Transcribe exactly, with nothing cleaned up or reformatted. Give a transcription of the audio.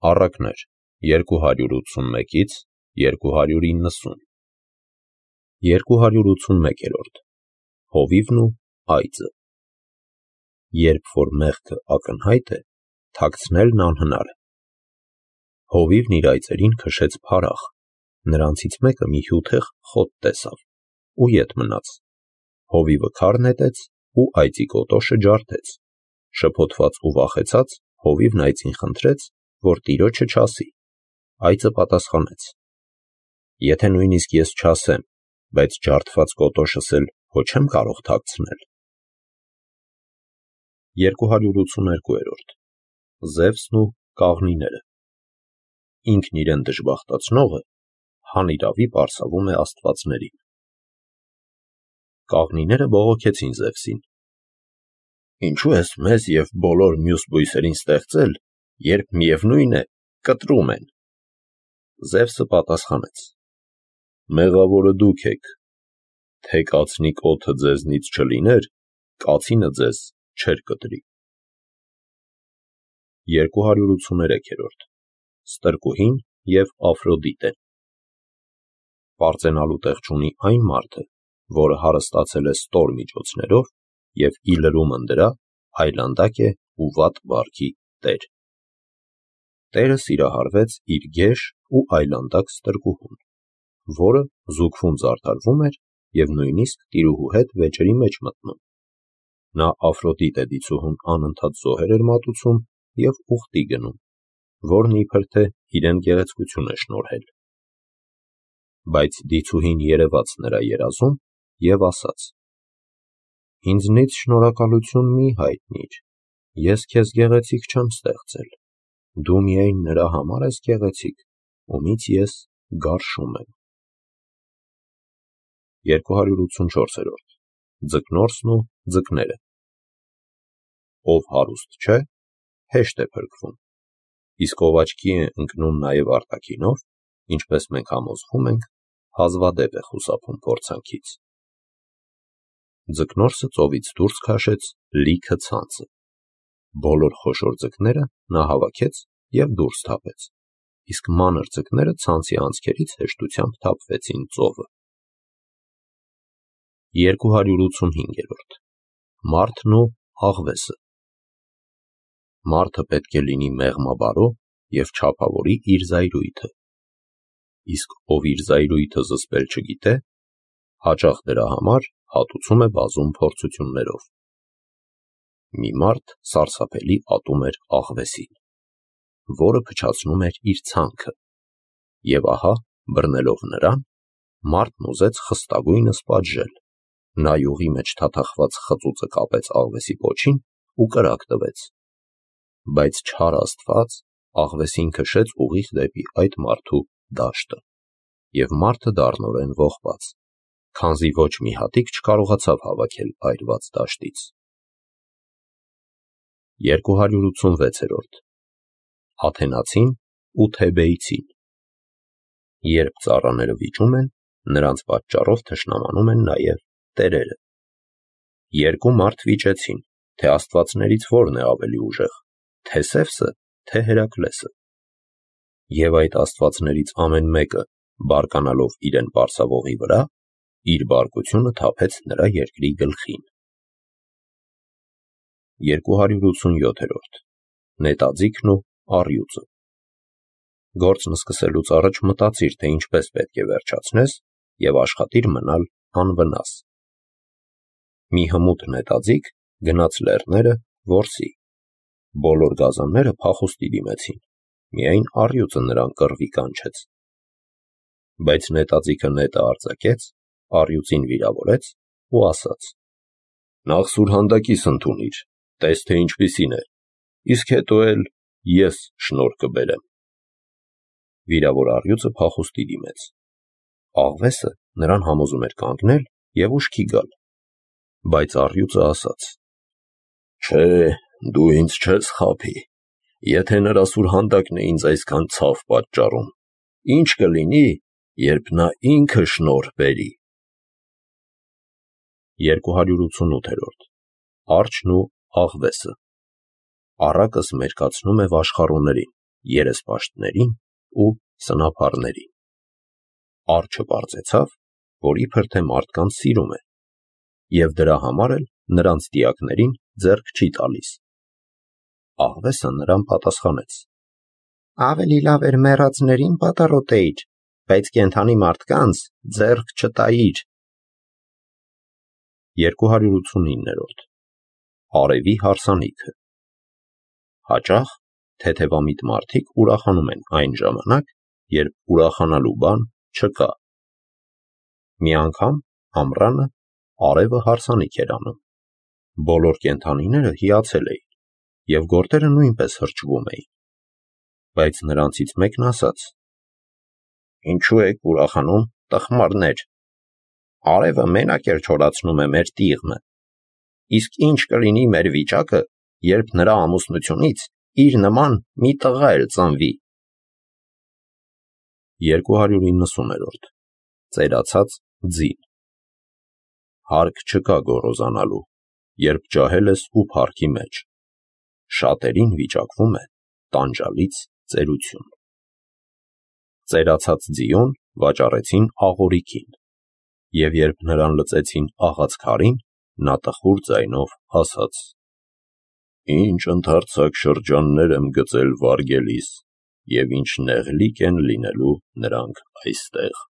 Առակներ երկու հարյուր ութսունմեկից երկու հարյուր իննսուն երկու հարյուր ութսունմեկերորդ Հովիվն ու այծը Երբ որ մեղքը ակնհայտ է, թաքցնելն անհնար է։ Հովիվն իր այծերին քշեց փարախ, նրանցից մեկը մի հյութեղ խոտ տեսավ ու ետ մնաց։ Հովիվը քար նետեց ու այծի կոտոշը ջարդեց։ Շփոթված ու վախեցած Հովիվն այծին խնդրեց, որ տիրոջը չասի։ Այծը պատասխանեց. Եթե նույնիսկ ես չասեմ, բայց ջարդված կոտոշս էլ հո չեմ կարող թաքցնել։ երկու հարյուր ութսուներկուերորդ Զևսն ու կաղնիները Ինքն իրեն դժբախտացնողը հանիրավի պարսավում է աստվածներին։ Կաղնիները բողոքեցին Զևսին. Ինչու ես մեզ և բոլոր մյուս բույսերին ստեղծել, երբ միևնույն է, կտրում են։ Զևսը պատասխանեց. Մեղավորը դուք եք, թե կացնի կոթը ձեզնից չլիներ, կացինը ձեզ չէր կտրի։ երկու հարյուր ութսուներեքերորդ Ստրկուհին և Աֆրոդիտեն Պարծենալու տեղ չունի այն մարդը, որը հարստացել է ստոր միջոցներով և ի լրումն դրա այլանդակ է ու վատ վարքի տեր։ Տերը սիրահարվեց իր գեշ ու այլանդակ ստրկուհուն, որը զուգվում զարդարվում էր և նույնիսկ տիրուհու հետ վեճերի մեջ մտնում։ Նա Աֆրոդիտե դիցուհուն անընդհատ զոհեր էր մատուցում և ուխտի գնում, որն իբր թե իրեն գեղեցկություն է շնորհել։ Բայց դիցուհին երևաց նրա երազում և ասաց. Ինձնից շնորհակալություն մի հայտնիր, ես քեզ գեղեցիկ չեմ ստեղծել, դու միայն նրա համար ես գեղեցիկ, ումից ես գարշում եմ։ երկու հարյուր ութսունչորսերորդ Ձկնորսն ու ձկները Ով հարուստ չէ, հեշտ է փրկվում, իսկ ով աչքի է ընկնում նաև արտաքինով, ինչպես մենք համոզվում ենք, հազվադեպ է խուսափում փորձանքից։ Ձկնորսը ծովից դուրս քաշեց լիքը ցանցը։ Բոլոր խոշոր ձկները նա հավաքեց և դուրս թափեց, իսկ մանր ձկները ցանցի անցքերից հեշտությամբ թափվեցին ծովը։ երկու հարյուր ութսունհինգերորդ Մարդն ու աղվեսը Մարդը պետք է լինի մեղմաբարո և չափավորի իր զայրույթը, իսկ ով իր զայրույթը զսպել չգիտե, հաճախ դրա համար հատուցում է բազում փորձություններով։ Մի մարդ սարսափելի ատում էր աղվեսին, որը փչացնում էր իր ցանքը, և ահա, բռնելով նրան, մարդն ուզեց խստագույնս պատժել, նա յուղի մեջ թաթախված խծուծը կապեց աղվեսի պոչին ու կրակ տվեց, բայց չար Աստված աղվեսին քշեց ուղիղ դեպի այդ մարդու դաշտը, և մարդը դառնորեն ողբաց, քանզի ոչ մի հատիկ չկարողացավ հավաքել այրված դաշտից։ երկու հարյուր ութսունվեցերորդ Աթենացին ու Թեբեյցին Երբ ծառաները վիճում են, նրանց պատճառով թշնամանում են նաև տերերը։ Երկու մարդ վիճեցին, թե աստվածներից որն է ավելի ուժեղ, Թեսևսը, թե Հերակլեսը։ Եվ այդ աստվածներից ամեն մեկը, բարկանալով իրեն պարսավողի վրա, իր բարկությունը թափեց նրա երկրի գլխին։ երկու հարյուր ութսունյոթերորդ Նետաձիգն ու առյուծը Գործն սկսելուց առաջ մտածիր, թե ինչպես պետք է վերջացնես, և աշխատիր մնալ անվնաս։ Մի հմուտ նետաձիգ գնաց լեռները որսի։ Բոլոր գազանները փախուստի դիմեցին, միայն առյուծը նրան կռվի կանչեց։ Բայց նետաձիգը նետը արձակեց, առյուծին վիրավորեց ու ասաց. Նախ սուրհանդակիս ընդունիր, տես թե ինչպիսին է, իսկ հետո էլ ես շնորհ կբերեմ։ Վիրավոր առյուծը փախուստի դիմեց։ Աղվեսը նրան համոզում էր կանգնել և ուշքի գալ, բայց առյուծը ասաց. Չէ, դու ինձ չես խաբի, եթե նրա սուրհանդակն է ինձ այսքան ցավ պատճառում, ինչ կլինի, երբ նա ինքը շնորհ բերի։ երկու հարյուր ութսունութերորդ Արջն ու աղվեսը Առակս մերկացնում է վաշխառուներին երեսպաշտներին ու սնափառներին։ Արջը պարզեցավ, որ իբր թե մարդկանց սիրում է, և դրա համար էլ նրանց դիակներին ձեռք չի տալիս։ Աղվեսը նրան պատասխանեց. ավելի լավ էր մեռածներին պատառոտեիր, բայց կենդանի մարդկանց ձեռք չտայիր։ երկու հարյուր ութսունիններորդ Արևի հարսանիքը։ Հաճախ թեթևամիտ մարդիկ ուրախանում են այն ժամանակ, երբ ուրախանալու բան չկա։ Մի անգամ ամռանը արևը հարսանիք էր անում։ Բոլոր կենդանիները հիացել էին, և գորտերը նույնպես հրճվում էին։ Բայց նրանցից մեկն ասաց. «Ինչու եք ուրախանում, տխմարներ, արևը մենակ էլ չորացնում է մեր տիղմը, իսկ ինչ կլինի մեր վիճակը, երբ նրա ամուսնությունից իր նման մի տղա էլ ծնվի»։ երկու հարյուր իննսուներորդ Ծերացած ձին։ Հարկ չկա գոռոզանալու, երբ ջահել ես ու փառքի մեջ, շատերին վիճակվում է տանջալից ծերություն։ Ծերացած ձիուն վաճառեցին աղորիկին, և երբ նրան լծեցին աղաց քարին, նա տխուր ձայնով ասաց. «Ինչ ընդարձակ շրջաններ եմ գծել վարգելիս, և ինչ նեղլիկ են լինելու նրանք այստեղ»։